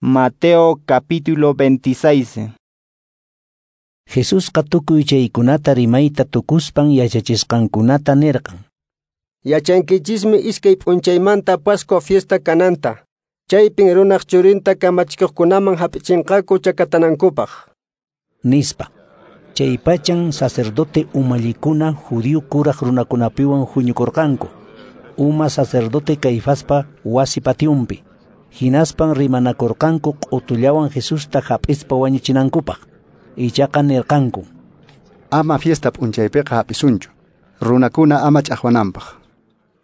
Mateo capítulo 26. Jesusqa tukuy chaykunata rimayta tukuspan yachachisqankunata nirqan. Yachankichismi iskay p'unchaymanta Pascua fiesta kananta. Chaypin runaq churinta kamachikuqkunaman hap'ichinqaku chakatanankupaq. Nispa. Chay pachan sacerdote umallikuna judío kuraq runakunapiwan huñukurqanku. Uma sacerdote Caifaspa wasi patiunpi. Hinaspan rimanakurqanku q'utullawan Jesusta hap'ispa wañuchinankupaq. Ichaqa nirqanku: Ama fiesta p'unchaypiqa hap'isunchu, runakuna ama ch'aqwananpaq.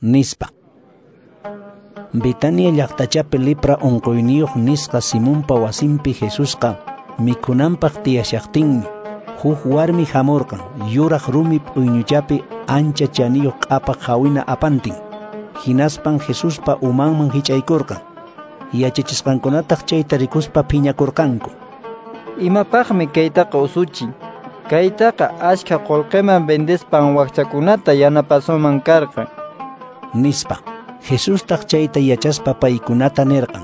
Nispa. Betania llaqtachapi lepra unquyniyuq nisqa Simonpa wasinpi Jesusqa mikhunanpaq tiyashaqtinmi huk warmi hamurqan yuraq rumi p'uyñuchapi ancha chaniyuq q'apaq hawina apantin. Hinaspan Jesuspa umanman hich'aykurqan. Yachachisqankunataq chayta rikuspa phiñakurqanku. Imapaqmi kaytaqa usuchin? Kaytaqa achka qullqiman vendespan wakchakunata yanapasunman karqan. Nispa. Jesustaq chayta yachaspa paykunata nirqan: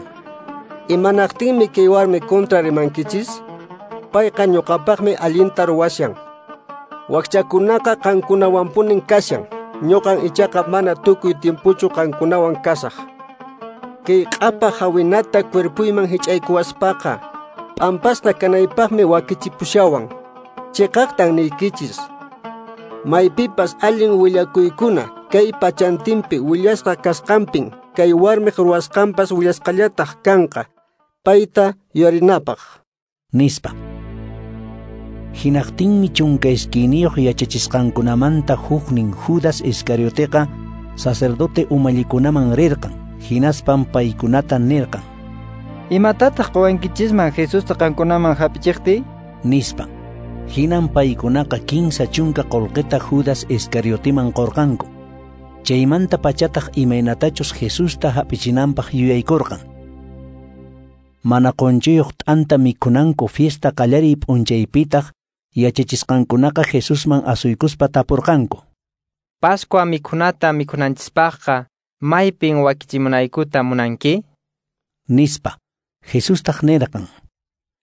Imanaqtinmi kay warmi kontra rimankichis? Payqa ñuqapaqmi allinta ruwashan. Wakchakunaqa qankunawanpunin kashan. Ñuqan ichaqa mana tukuy tiempuchu qankunawan kasaq. Kay q'apa hawinata cuerpuyman hich'aykuwaspaqa p'ampasqa kanaypaqmi wakichipushawan. Chiqaqtan niykichis, maypipas allin willakuykuna kay pachantinpi willasqa kasqanpin kay warmiq ruwasqanpas willasqallataq kanqa, payta yuyarinapaq. Nispa. Hinaqtinmi 12 yachachisqankunamanta huknin Judas Iscarioteqa sacerdote umallikunaman rirqan. Hinaspan paykunata nirqan: Imatataq quwankichisman Jesusta qankunaman hap'ichiqtiy? Nispa. Hinan paykunaqa 30 qullqita Judas Iscarioteman qurqanku. Chaymanta pachataq imaynatachus Jesusta hap'ichinanpaq yuyaykurqan. Mana qunchuyuq t'anta mikhunanku fiesta qallariy p'unchaypitaq yachachisqankunaqa Jesusman asuykuspa tapurqanku: Pascua mikhunata mikhunanchispaqqa maypin wakichimunaykuta munanki? Nispa. Jesustaq nirqan: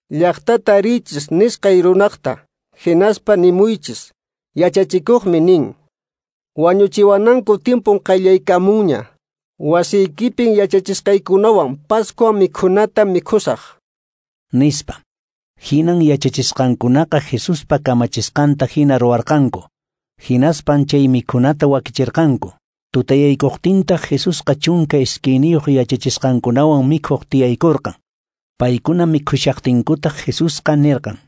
Llaqtata riychis nisqay runaqta, hinaspa nimuychis, yachachikuqmi nin: Wañuchiwananku tiempun qayllaykamunña. Wasiykipin yachachisqaykunawan Pascua mikhunata mikhusaq. Nispa. Hinan yachachisqankunaqa Jesuspa kamachisqanta hina ruwarqanku. Hinaspan chay mikhunata wakichirqanku. Tutayaykuqtintaq Jesusqa 12 yachachisqankunawan mikhuq tiyaykurqan. Paykuna mikhushaqtinkutaq Jesusqa nirqan: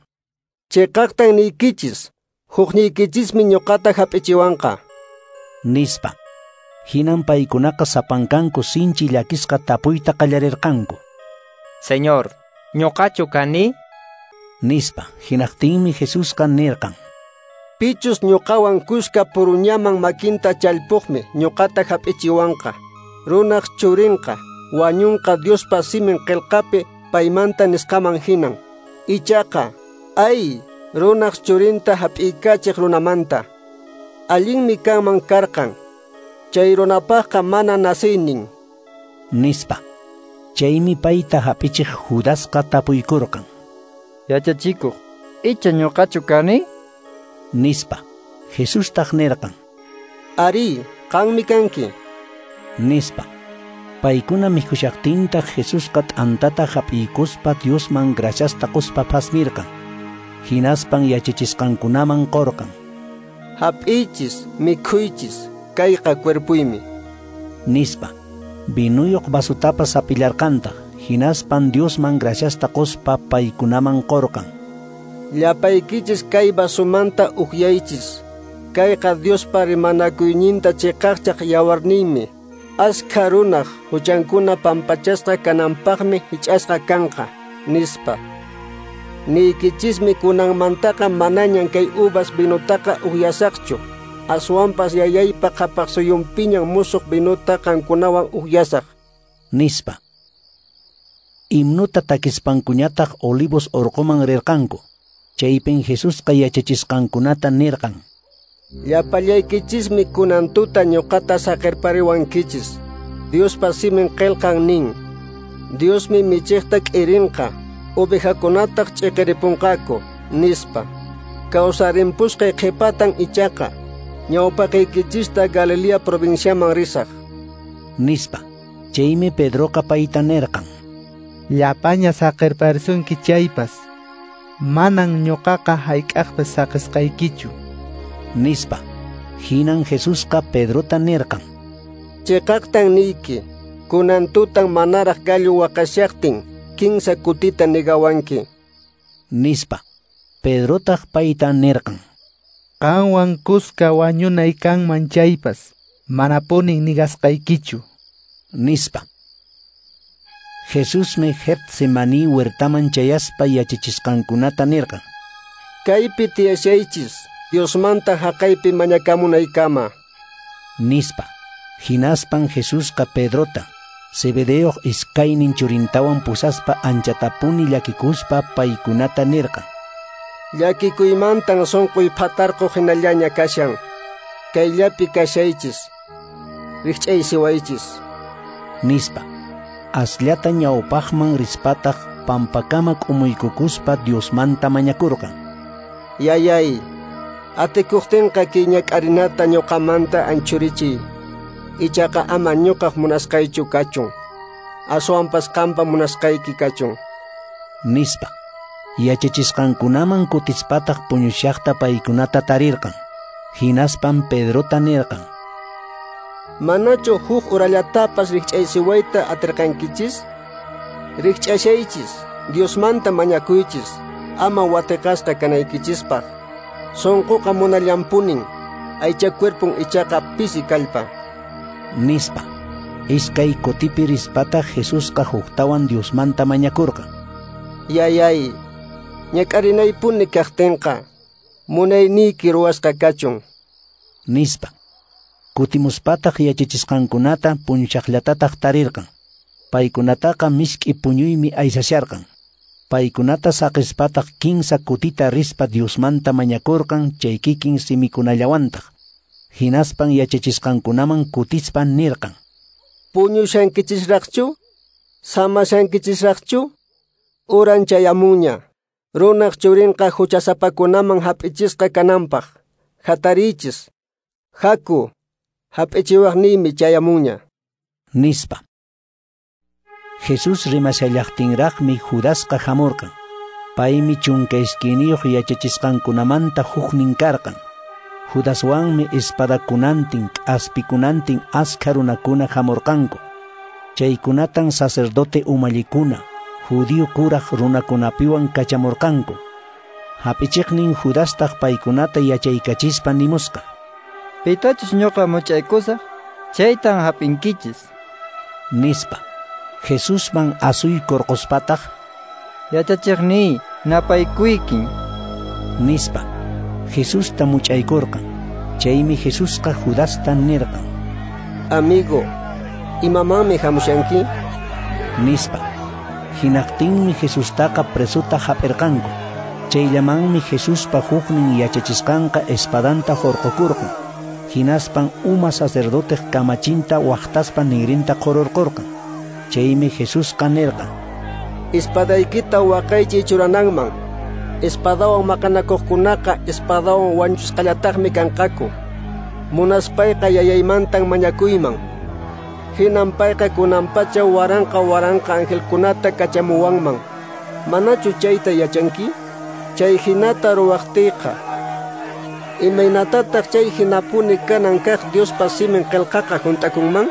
Chiqaqtan niykichis, hukniykichismi ñuqata hap'ichiwanqa. Nispa. Hinan paykunaqa sapankanku sinchi llakisqa tapuyta qallarirqanku: Señor, ñuqachu kani? Nispa. Hinaqtinmi Jesusqa nirqan: Pichus ñuqawan kuska puruñaman makinta challpuqmi ñuqata hap'ichiwanqa. Runaq churinqa wañunqa Diospa simin qillqapi paymanta nisqaman hinan. Ichaqa, ay, runaq churinta hap'iykachiq runamanta. Allinmi kanman karqan. Chay runapaqqa mana naciynin. Nispa. Chaymi payta hap'ichiq Judasqa tapuykurqan: Yachachikuq, icha ñuqachu kani? Nispa. Jesustaq nirqan: Ari, qanmi kanki. Nispa. Paykuna mikhushaqtintaq Jesusqa t'antata hap'iykuspa Diosman graciasta quspa phasmirqan. Hinaspan yachachisqankunaman qurqan: Hap'iychis, mikhuychis, kayqa cuerpuymi. Nispa. Vinuyuq vasutapas hap'illarqantaq. Hinaspan Diosman graciasta quspa paykunaman qurqan: Llapaykichis kay vasumanta ukyaychis. Kayqa Diospa rimanakuyninta chiqaqchaq yawarninmi. Askha runaq huchankuna pampachasqa kananpaqmi hich'asqa kanqa. Nispa. Niykichismi kunanmantaqa manañan kay uvas vinutaqa ukyasaqchu. Aswanpas yayaypa qhapaq suyunpiñan musuq vinuta qankunawan ukyasaq. Nispa. Himnuta takispankuñataq Olivos urquman rirqanku. Chaypin Jesusqa yachachisqankunata nirqan: Llapallaykichismi kunan tuta ñuqata saqirpariwankichis. Diospa simin qillqan nin: Diosmi michiqta k'irinqa, ovejakunataq ch'iqiripunqaku, nispa. Kawsarimpusqay qhipatan ichaqa ñawpaqaykichista Galilea provinciaman risaq, nispa. Chaymi Pedroqa payta nirqan: Llapaña saqirparisunki chaypas, manan ñuqaqa hayk'aqpas saqisqaykichu, nispa. Hinan Jesusqa Pedrota nirqan: Chiqaqtan niyki, kunan tutan manaraq gallo waqashaqtin kinsa kutita negawanki, nispa. Pedrotaq payta nirqan: Qanwan kuska wañunay kanman chaypas, manapunin nigasqaykichu, nispa. Jesusmi Getsemaní huertaman chayaspa yachachisqankunata nirqan: Kaypi tiyashaychis, Diosmanta haqaypi mañakamunaykama, nispa. Hinaspan Jesusqa Pedrota, Zebedeoq iskaynin churintawan pusaspa anchatapuni llakikuspa paykunata nirqan: Llakikuymantan sunquy phatarquq hinallaña kashan. Kayllapi kashaychis, rikch'aysiwaychis, nispa. Asllata ñawpaqman rispataq pampakama k'umuykukuspa Diosmanta mañakurqan: Yayay, atikuqtinqa kay ñak'arinata ñuqamanta anchurichiy. Ichaqa ama ñuqaq munasqaychu kachun, aswanpas qampa munasqayki kachun, nispa. Yachachisqankunaman kutispataq puñushaqta paykunata tarirqan. Hinaspan Pedrota nirqan: Manachu huk urallatapas rikch'aysiwayta atirqankichis? Rikch'ashaychis, Diosmanta mañakuychis, ama watiqasqa kanaykichispaq. Sunquqa munallanpunin, aycha cuerpon ichaqa pisi kallpa, nispa. Iskay kutipi rispataq Jesusqa huktawan Diosmanta mañakurqan: Yayay, ñak'arinaypuni kaqtinqa, munayniyki ruwasqa kachun, nispa. Kutimuspataq yachachisqankunata puñushaqllatataq tarirqan. Paykunataqa misk'i puñuymi aysasharqan. Paykunata saqispataq kinsa kutita rispa Diosmanta mañakurqan chay kikin simikunallawantaq. Hinaspan yachachisqankunaman kutispa nirqan: Puñushankichisraqchu? Samashankichisraqchu? Uran chayamunña. Runaq churinqa huchasapakunaman hap'ichisqa kananpaq. Hatariychis. Haku, hap'ichiwaqniymi chayamunña, nispa. Jesús rimashallaqtinraqmi Judasqa hamurqan. Paymi 12 yachachisqankunamanta huknin karqan. Judaswanmi espadakunantin, k'aspikunantin askha runakuna hamurqanku. Chaykunatan sacerdote umallikuna, judío kuraq runakunapiwan kachamurqanku. Hap'ichiqnin Judastaq paykunata yachaykachispa nimusqa: Pitachus ñuqa much'aykusaq, chaytan hap'inkichis, nispa. Jesusman asuykurquspataq: Yachachiqniy, napaykuykin, nispa. Jesusta much'aykurqan. Chaymi Jesusqa Judasta nirqan: Amigo, imamanmi hamushanki? Nispa. Hinaqtinmi Jesustaqa presuta hap'irqanku. Chayllamanmi Jesuspa huknin yachachisqanqa espadanta hurqukurqan. Hinaspan uma sacerdoteq kamachinta waqtaspa ninrinta qhururqurqan. Chaymi Jesusqa nirqan: Espadaykita waqaychay churananman. Espadawan maqanakuqkunaqa espadawan wañusqallataqmi kanqaku. Munaspayqa yayaymantan mañakuyman. Hinan payqa kunanpacha waranqa waranqa angelkunata kachamuwanman. Manachu chayta yachanki? Chay hinata ruwaqtiyqa, imaynatataq chay hinapuni kanan kaq Diospa simin qillqaqa hunt'akunman?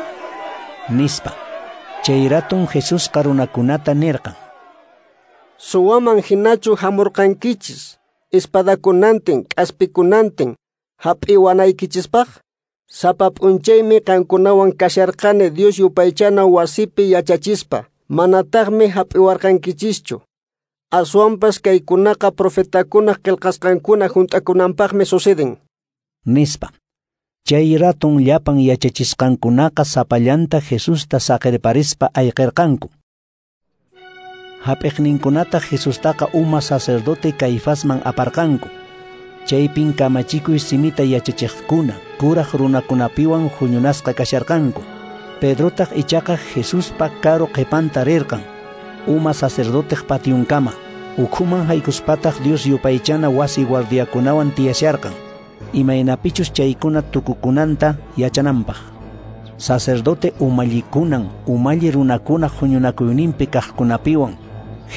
Nispa. Chay ratun Jesusqa runakunata nirqan: Suwaman hinachu hamurqankichis, espadakunantin, k'aspikunantin, hap'iwanaykichispaq? Sapa p'unchaymi qankunawan kasharqani Dios yupaychana wasipi yachachispa, manataqmi hap'iwarqankichischu. Aswanpas kaykunaqa profetakunaq qillqasqankuna hunt'akunanpaqmi suceden, nispa. Chay ratun llapan yachachisqankunaqa sapallanta Jesusta saqirparispa ayqirqanku. Hap'iqninkunataq Jesustaqa uma sacerdote Caifasman aparqanku. Chaypin kamachikuy simita yachachiqkuna, kuraq runakunapiwan huñunasqa kasharqanku. Pedrotaq ichaqa Jesuspa karu qhipanta rirqan. uma sacerdoteq pationkama. Ukhuman haykuspataq Dios yupaychana wasi guardiakunawan tiyasharqan, imaynapichus chaykuna tukukunanta yachananpaq. Sacerdote umallikunan umalli runakuna huñunakuyninpi kaqkunapiwan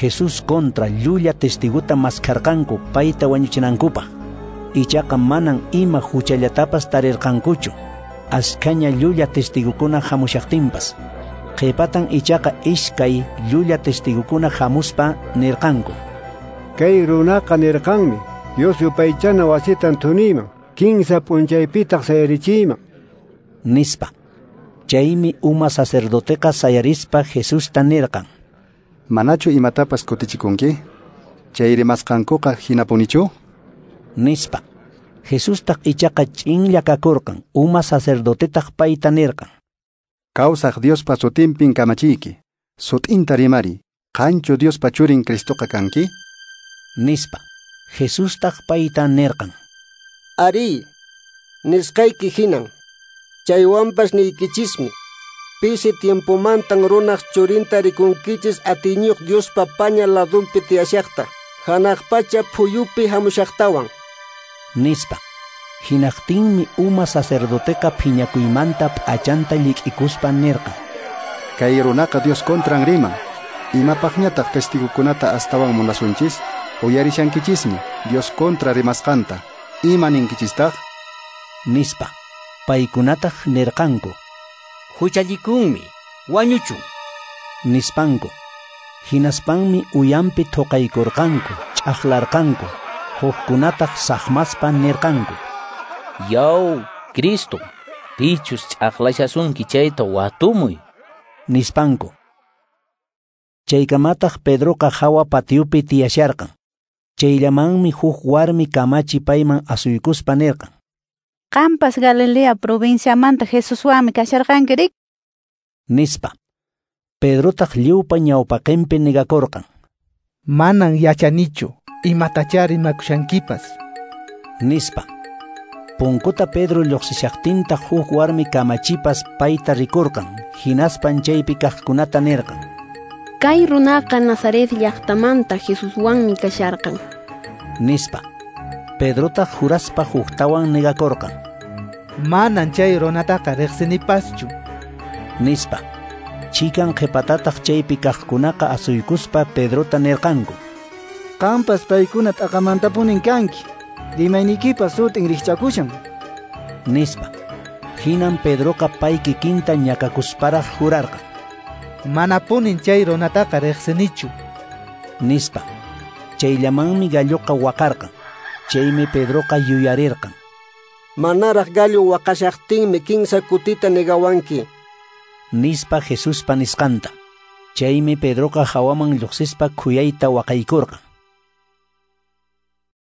Jesús contra llulla testiguta maskharqanku payta wañuchinankupaq. Ichaqa manan ima huchallatapas tarirqankuchu, askhaña llulla testigukuna hamushaqtinpas. Qhipatan ichaqa iskay llulla testigukuna hamuspa nirqanku: Kay runaqa nirqanmi, Dios yupaychana wasitan thuniyman, kinsa p'unchaypitaq sayarichiyman, nispa. Chaymi uma sacerdoteqa sayarispa Jesusta nirqan: Manachu imatapas kutichikunki? Chay rimasqankuqa hinapunichu? Nispa. Jesustaq ichaqa ch'inlla kakurqan. Uma sacerdotetaq payta nirqan: Kawsaq Diospa sutinpin kamachiyki, sut'inta rimari, qanchu Diospa churin Cristoqa kanki? Nispa. Jesustaq payta nirqan: Ari, nisqayki hinan. Chaywanpas niykichismi, pisi tiempomantan runaq churinta rikunkichis atiyniyuq Diospa paña ladunpi tiyashaqta, hanaq pacha phuyupi hamushaqtawan, nispa. Hinaqtinmi uma sacerdoteqa phiñakuymanta p'achanta llik'ikuspa nirqan: Kay runaqa Dios contran riman. Imapaqñataq testigukunata astawan munasunchis? Uyarishankichismi Dios contra rimasqanta. Ima ninkichistaq? Nispa. Paykunataq nirqanku: Huchallikunmi, wañuchun, nispanku. Hinaspanmi uyanpi thuqaykurqanku, ch'aqlarqanku. Hukkunataq saqmaspa nirqanku: Yaw, Cristo, pichus ch'aqlashasunki chayta watumuy, nispanku. Chaykamataq Pedroqa hawa patiopi tiyasharqan. Chayllamanmi huk warmi kamachi payman asuykuspa nirqan: Qampas Galilea provinciamanta Jesuswanmi kasharqanki rik, nispa. Pedrotaq lliwpa ñawpaqinpi negakurqan: Manan yachanichu, imatachá rimakushankipas, nispa. Punkuta Pedro lluqsishaqtintaq huk warmi kamachipas payta rikurqan, hinaspan chaypi kaqkunata nirqan: Kay runaqa Nazaret llaqtamanta Jesuswanmi kasharqan, nispa. Pedrotaq juraspa huktawan negakurqan: Manan chay runataqa riqsinipaschu, nispa. Chikan qhipatataq chaypi kaqkunaqa asuykuspa Pedrota nirqanku: Qampas paykuna t'aqamantapunin kanki, rimaynikipas sutin rikch'akushan, nispa. Hinan Pedroqa pay kikinta ñakakusparaq jurarqan: Manapunin chay runataqa riqsinichu, nispa. Chayllamanmi galloqa waqarqan. Chaymi Pedroqa yuyarirqan: Manaraq gallo waqashaqtinmi kinsa kutita negawanki, nispa Jesuspa nisqanta. Chaymi Pedroqa hawaman lluqsispa khuyayta waqaykurqan.